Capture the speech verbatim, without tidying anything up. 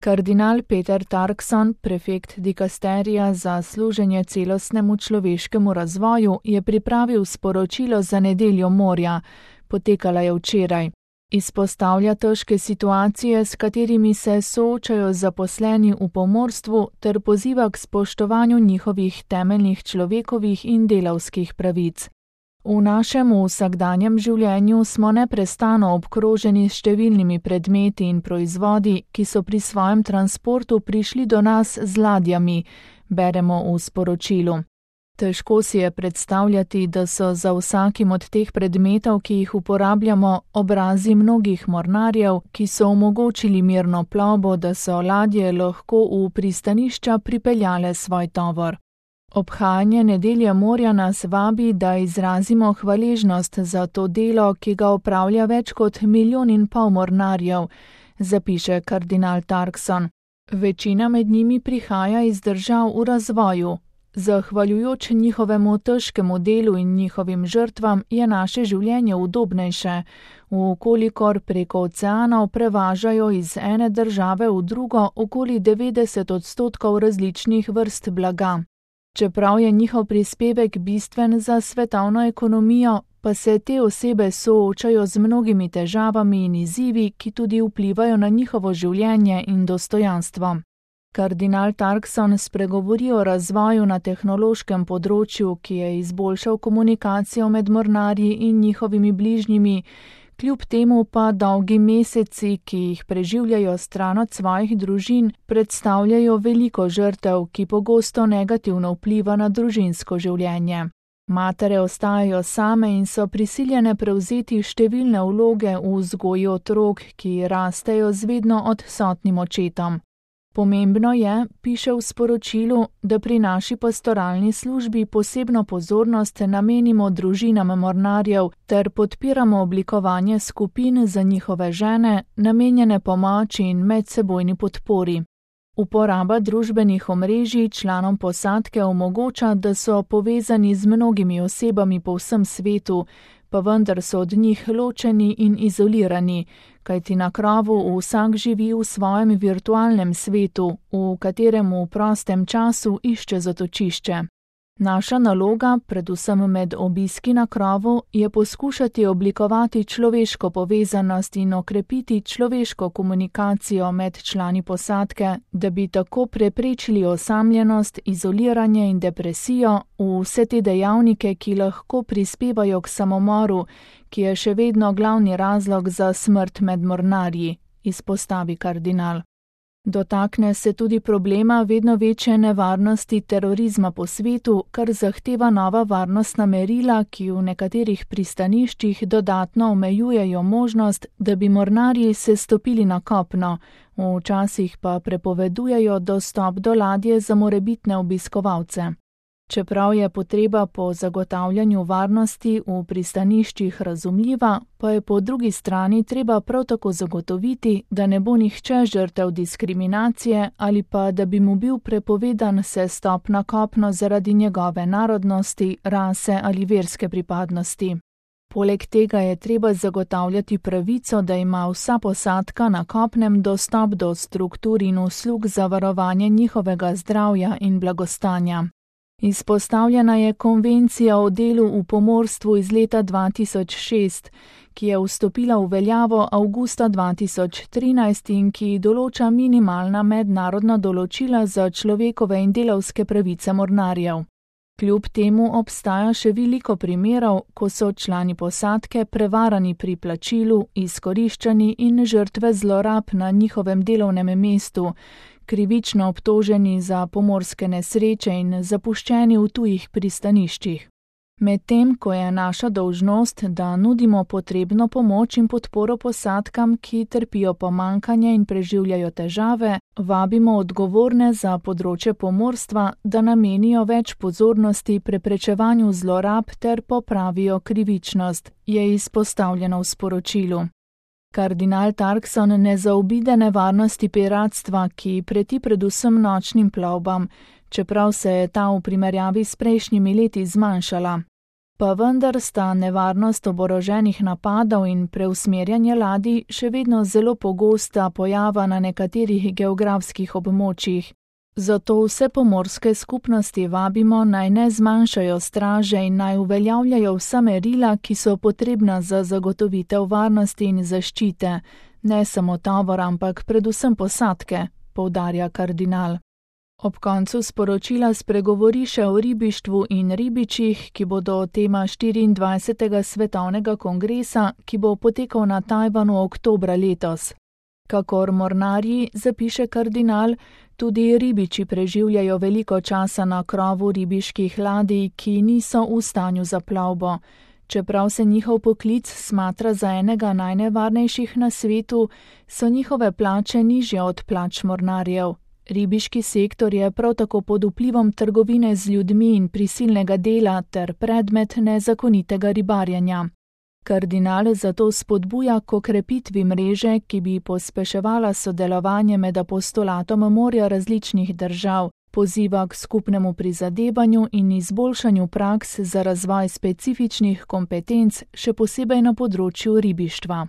Kardinal Peter Turkson, prefekt dikasterija za služenje celostnemu človeškemu razvoju, je pripravil sporočilo za nedeljo morja, potekala je včeraj. Izpostavlja težke situacije, s katerimi se soočajo zaposleni v pomorstvu, ter poziva k spoštovanju njihovih temeljnih človekovih in delavskih pravic. V našem vsakdanjem življenju smo neprestano obkroženi s številnimi predmeti in proizvodi, ki so pri svojem transportu prišli do nas z ladjami, beremo v sporočilu. Težko si je predstavljati, da so za vsakim od teh predmetov, ki jih uporabljamo, obrazi mnogih mornarjev, ki so omogočili mirno plovbo, da so ladje lahko v pristanišča pripeljale svoj tovor. Obhajanje nedelje morja nas vabi, da izrazimo hvaležnost za to delo, ki ga opravlja več kot milijon in pol mornarjev, zapiše kardinal Turkson. Večina med njimi prihaja iz držav v razvoju. Zahvaljujoč njihovemu težkemu delu in njihovim žrtvam je naše življenje udobnejše, vkolikor preko oceanov prevažajo iz ene države v drugo okoli devetdeset odstotkov različnih vrst blaga. Čeprav je njihov prispevek bistven za svetovno ekonomijo, pa se te osebe soočajo z mnogimi težavami in izzivi, ki tudi vplivajo na njihovo življenje in dostojanstvo. Kardinal Turkson spregovori o razvoju na tehnološkem področju, ki je izboljšal komunikacijo med mornarji in njihovimi bližnjimi, kljub temu pa dolgi meseci, ki jih preživljajo stran od svojih družin, predstavljajo veliko žrtev, ki pogosto negativno vpliva na družinsko življenje. Matere ostajajo same in so prisiljene prevzeti številne vloge v vzgoji otrok, ki rastejo z vedno odsotnim očetom. Pomembno je, piše v sporočilu, da pri naši pastoralni službi posebno pozornost namenimo družinam mornarjev ter podpiramo oblikovanje skupin za njihove žene, namenjene pomoči in medsebojni podpori. Uporaba družbenih omrežij članom posadke omogoča, da so povezani z mnogimi osebami po vsem svetu, pa vendar so od njih ločeni in izolirani, kajti na krovu vsak živi v svojem virtualnem svetu, v katerem v prostem času išče zatočišče. Naša naloga, predvsem med obiski na krovu, je poskušati oblikovati človeško povezanost in okrepiti človeško komunikacijo med člani posadke, da bi tako preprečili osamljenost, izoliranje in depresijo, vse te dejavnike, ki lahko prispevajo k samomoru, ki je še vedno glavni razlog za smrt med mornarji, izpostavi kardinal. Dotakne se tudi problema vedno večje nevarnosti terorizma po svetu, kar zahteva nova varnostna merila, ki v nekaterih pristaniščih dodatno omejujejo možnost, da bi mornarji se stopili na kopno, včasih pa prepovedujejo dostop do ladje za morebitne obiskovalce. Čeprav je potreba po zagotavljanju varnosti v pristaniščih razumljiva, pa je po drugi strani treba prav tako zagotoviti, da ne bo nihče žrtev diskriminacije ali pa da bi mu bil prepovedan sestop na kopno zaradi njegove narodnosti, rase ali verske pripadnosti. Poleg tega je treba zagotavljati pravico, da ima vsa posadka na kopnem dostop do struktur in uslug za varovanje njihovega zdravja in blagostanja. Izpostavljena je konvencija o delu v pomorstvu iz leta dva tisoč šest, ki je vstopila v veljavo avgusta dva tisoč trinajst in ki določa minimalna mednarodna določila za človekove in delavske pravice mornarjev. Kljub temu obstaja še veliko primerov, ko so člani posadke prevarani pri plačilu, izkoriščani in žrtve zlorab na njihovem delovnem mestu, krivično obtoženi za pomorske nesreče in zapuščeni v tujih pristaniščih. Medtem ko je naša dolžnost, da nudimo potrebno pomoč in podporo posadkam, ki trpijo pomanjkanje in preživljajo težave, vabimo odgovorne za področje pomorstva, da namenijo več pozornosti preprečevanju zlorab ter popravijo krivičnost, je izpostavljeno v sporočilu. Kardinal Turkson ne zaobide nevarnosti piratstva, ki preti predvsem nočnim plovbam, čeprav se je ta v primerjavi s prejšnjimi leti zmanjšala. Pa vendar sta nevarnost oboroženih napadov in preusmerjanje ladij še vedno zelo pogosta pojava na nekaterih geografskih območjih. Zato vse pomorske skupnosti vabimo, naj ne zmanjšajo straže in naj uveljavljajo vsa merila, ki so potrebna za zagotovitev varnosti in zaščite, ne samo tovor, ampak predvsem posadke, poudarja kardinal. Ob koncu sporočila spregovori še o ribištvu in ribičih, ki bodo tema štiriindvajsetega svetovnega kongresa, ki bo potekal na Tajvanu oktobra letos. Kakor mornarji, zapiše kardinal, tudi ribiči preživljajo veliko časa na krovu ribiških ladij, ki niso v stanju za plovbo. Čeprav se njihov poklic smatra za enega najnevarnejših na svetu, so njihove plače nižje od plač mornarjev. Ribiški sektor je prav tako pod vplivom trgovine z ljudmi in prisilnega dela ter predmet nezakonitega ribarjenja. Kardinal zato spodbuja k okrepitvi mreže, ki bi pospeševala sodelovanje med apostolatom morja različnih držav, poziva k skupnemu prizadevanju in izboljšanju praks za razvoj specifičnih kompetenc, še posebej na področju ribištva.